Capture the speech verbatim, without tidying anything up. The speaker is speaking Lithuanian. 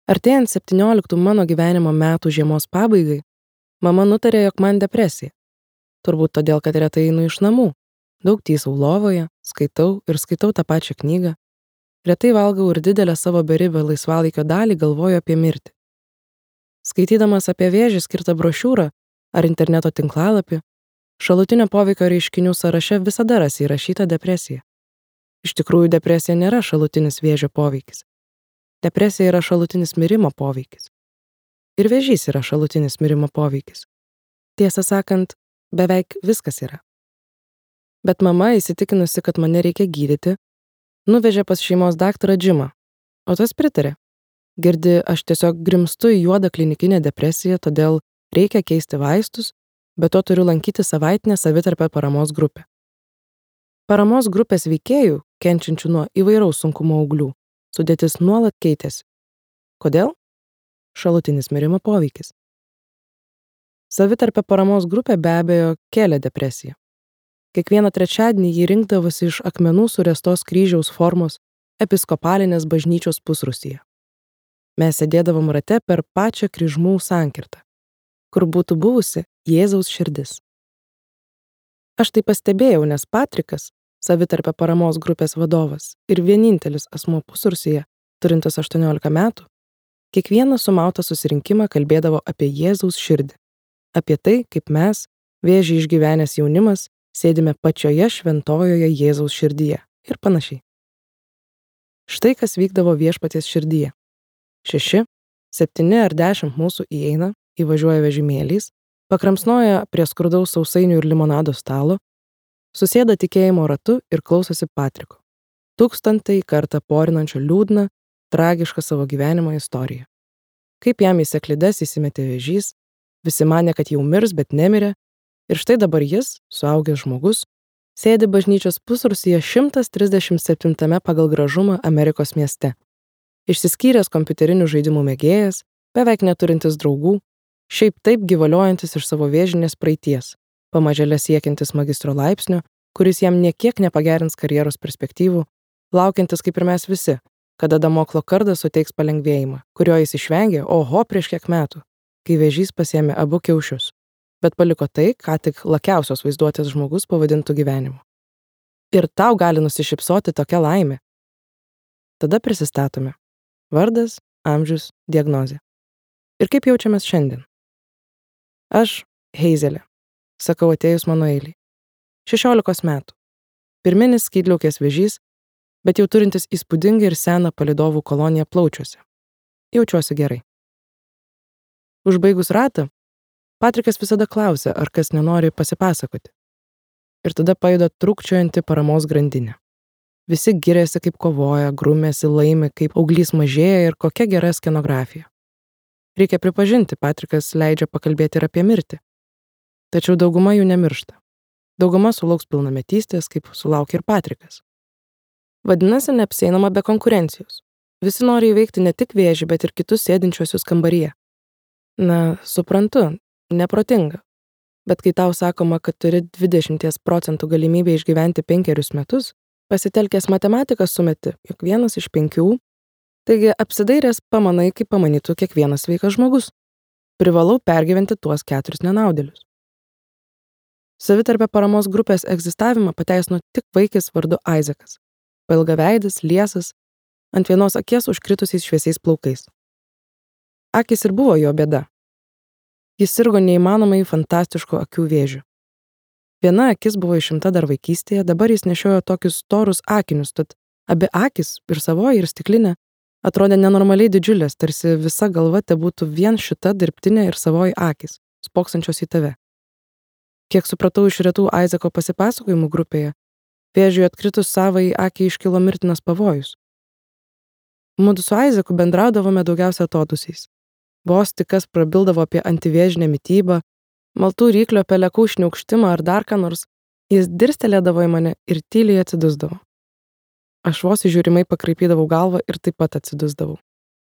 Artėjant septynioliktų mano gyvenimo metų žiemos pabaigai, mama nutarė, jog man depresija. Turbūt todėl, kad retai einu iš namų. Daug tysau lovoje, skaitau ir skaitau tą pačią knygą. Retai valgau ir didelę savo beribę laisvalaikio dalį galvoju apie mirtį. Skaitydamas apie vėžį skirtą brošiūrą ar interneto tinklalapį, šalutinio poveikio reiškinių sąraše visada rasi įrašyta depresija. Iš tikrųjų, depresija nėra šalutinis vėžio poveikis. Depresija yra šalutinis mirimo poveikis. Ir vėžys yra šalutinis mirimo poveikis. Tiesą sakant, beveik viskas yra. Bet mama, įsitikinusi, kad mane reikia gydyti, nuvežė pas šeimos daktarą Džimą, o tas pritarė. Girdi, aš tiesiog grimstu į juodą klinikinę depresiją, todėl reikia keisti vaistus, bet to turiu lankyti savaitinę savitarpę paramos grupę. Paramos grupės veikėjų, kenčiančių nuo įvairaus sunkumo auglių, sudėtis nuolat keitėsi. Kodėl? Šalutinis mirimo poveikis. Savitarpė paramos grupė be abejo kėlė depresiją. Kiekvieną trečiadienį jį rinkdavosi iš akmenų suręstos kryžiaus formos episkopalinės bažnyčios pusrūsyje. Mes sėdėdavom rate per pačią kryžmų sankirtą, kur būtų buvusi Jėzaus širdis. Aš tai pastebėjau, nes Patrikas, savitarpė paramos grupės vadovas ir vienintelis asmuo pusrūsyje, turintis aštuoniolika metų, kiekvieną sumautą susirinkimą kalbėdavo apie Jėzaus širdį, apie tai, kaip mes, vėžį išgyvenęs jaunimas, sėdime pačioje šventojoje Jėzaus širdyje ir panašiai. Štai kas vykdavo viešpaties širdyje. Šeši, septyni ar dešimt mūsų įeina, įvažiuoja vežimėliais, pakramsnoja prie skurdaus sausainių ir limonado stalo, susėda tikėjimo ratu ir klausosi Patriko. Tūkstantai kartą porinančio liūdną, tragišką savo gyvenimo istoriją. Kaip jam į seklides įsimetė vėžys, visi manė, kad jau mirs, bet nemirė, ir štai dabar jis, suaugęs žmogus, sėdi bažnyčios pusrūsyje šimtas trisdešimt septintame pagal gražumą Amerikos mieste. Išsiskyręs kompiuterinių žaidimų mėgėjas, beveik neturintis draugų, šiaip taip gyvaliojantis iš savo vėžinės praeities, pamažėle siekiantis magistro laipsnio, kuris jam niekiek nepagerins karjeros perspektyvų, laukiantis kaip ir mes visi, kada Damoklo kardas suteiks palengvėjimą, kurio jis išvengė, oho, prieš kiek metų, kai vėžys pasiėmė abu kiaušius, bet paliko tai, ką tik lakiausios vaizduotės žmogus pavadintų gyvenimu. Ir tau gali nusišypsoti tokia laimė. Tada prisistatome. Vardas, amžius, diagnozė. Ir kaip jaučiamės šiandien? Aš, Heizelė, sakau atėjus mano eiliai. šešiolikos metų. Pirminis skydliaukės vėžys, bet jau turintis įspūdingą ir seną palydovų koloniją plaučiuose. Jaučiuosi gerai. Užbaigus ratą, Patrikas visada klausia, ar kas nenori pasipasakoti. Ir tada pajuda trūkčiojanti paramos grandinė. Visi giriasi, kaip kovoja, grumėsi, laimi, kaip auglys mažėja ir kokia gera skenografija. Reikia pripažinti, Patrikas leidžia pakalbėti ir apie mirtį. Tačiau dauguma jų nemiršta. Dauguma sulauks pilnametystės, kaip sulaukė ir Patrikas. Vadinasi, neapsieinama be konkurencijos. Visi nori įveikti ne tik vėžį, bet ir kitus sėdinčiuosius kambaryje. Na, suprantu, neprotinga. Bet kai tau sakoma, kad turi dvidešimt procentų galimybę išgyventi penkerius metus, pasitelkęs matematiką sumeti, jog vienas iš penkių, taigi apsidairęs pamanai, kaip pamanytų kiekvienas sveikas žmogus. Privalau pergyventi tuos keturis nenaudėlius. Savitarpė paramos grupės egzistavimą pateisino tik vaikis vardu Aizakas. Pailgaveidis, liesas, ant vienos akies užkritusiais šviesiais plaukais. Akys ir buvo jo bėda. Jis sirgo neįmanomai fantastišku akių vėžiu. Viena akis buvo išimta dar vaikystėje, dabar jis nešiojo tokius storus akinius, tad abi akis, ir savoji, ir stiklinė, atrodė nenormaliai didžiulės, tarsi visa galva te būtų vien šita dirbtinė ir savoji akis, spoksančios į tave. Kiek supratau iš retų Aizako pasipasakojimų grupėje, vėžiui atkritus savai akiai iškilo mirtinas pavojus. Mudu su Aizaku bendraudavome daugiausia atodūsiais. Vos tik kas prabildavo apie antivėžinę mitybą, maltų ryklio pelekų šniaukštimą ar dar ką nors, jis dirstelėdavo į mane ir tyliai atsidusdavo. Aš vos įžiūrimai pakraipydavau galvą ir taip pat atsidusdavau.